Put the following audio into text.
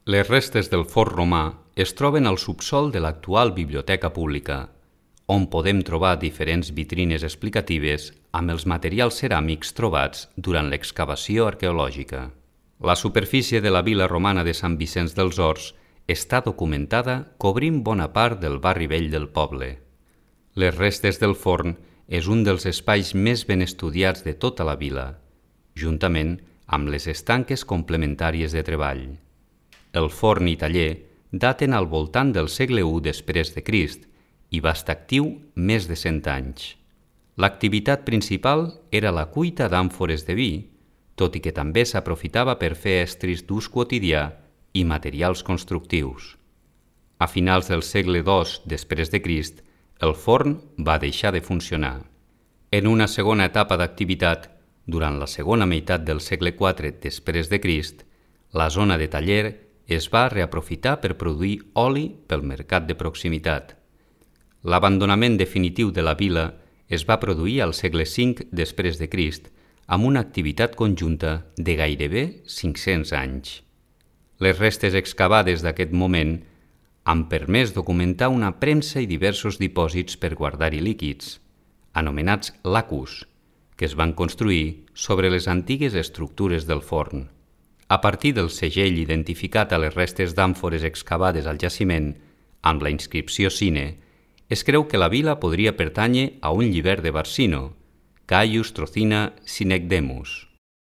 Les restes del forn romà es troben al subsòl de l'actual biblioteca pública, on podem trobar diferents vitrines explicatives amb els materials ceràmics trobats durant l'excavació arqueològica. La superfície de la vila romana de Sant Vicenç dels Horts està documentada cobrint bona part del barri vell del poble. Les restes del forn és un dels espais més ben estudiats de tota la vila, juntament amb les estanques complementàries de treball. El forn i taller daten al voltant del segle I després de Crist i va estar actiu més de 100 anys. L'activitat principal era la cuita d'àmfores de vi, tot i que també s'aprofitava per fer estris d'ús quotidià i materials constructius. A finals del segle II després de Crist, el forn va deixar de funcionar. En una segona etapa d'activitat, durant la segona meitat del segle IV després de Crist, la zona de taller es va reaprofitar per produir oli pel mercat de proximitat. L'abandonament definitiu de la vila es va produir al segle V després de Crist, amb una activitat conjunta de gairebé 500 anys. Les restes excavades d'aquest moment han permès documentar una premsa i diversos dipòsits per guardar-hi líquids, anomenats lacus, que es van construir sobre les antigues estructures del forn. A partir del segell identificat a les restes d'àmfores excavades al jaciment, amb la inscripció Sine, es creu que la vila podria pertànyer a un llibert de Barsino, Caius Trocina Synecdemus.